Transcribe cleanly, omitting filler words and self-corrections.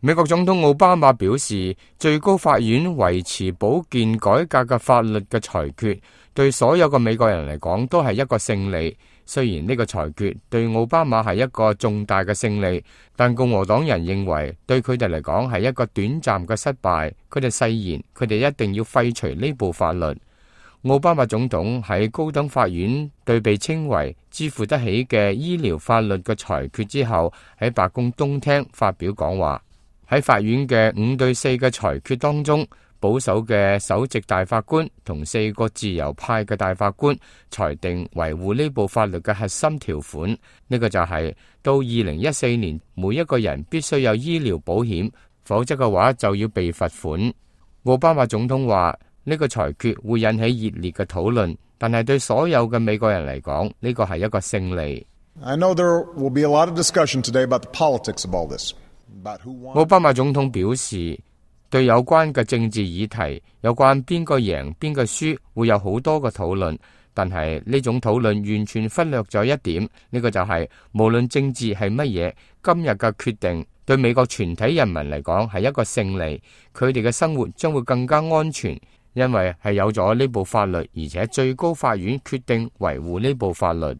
美國總統奧巴馬表示，最高法院維持保健改革嘅法律嘅裁決，對所有嘅美國人嚟講都係一個勝利。雖然呢個裁決對奧巴馬係一個重大嘅勝利，但共和黨人認為對佢哋嚟講係一個短暫嘅失敗。佢哋誓言，佢哋一定要廢除呢部法律。奧巴馬總統喺高等法院對被稱為支付得起嘅醫療法律嘅裁決之後，喺白宮東廳發表講話。喺法院嘅5-4嘅裁決當中，保守嘅首席大法官同4個自由派嘅大法官裁定維護呢部法律嘅核心條款，呢個就係到2014年，每一個人必須有醫療保險，否則嘅話就要被罰款。奧巴馬總統話呢個裁決會引起熱烈嘅討論，但係對所有嘅美國人嚟講，呢個係一個勝利。I know there will be a lot of discussion today about the politics of all this. 奧巴馬總統表示，對有關嘅政治議題，有關邊個贏邊個輸，會有好多嘅討論。但係呢種討論完全忽略咗一點，呢個就係無論政治係乜嘢，今日嘅決定對美國全體人民嚟講係一個勝利，佢哋嘅生活將會更加安全，因為係有咗呢部法律，而且最高法院決定維護呢部法律。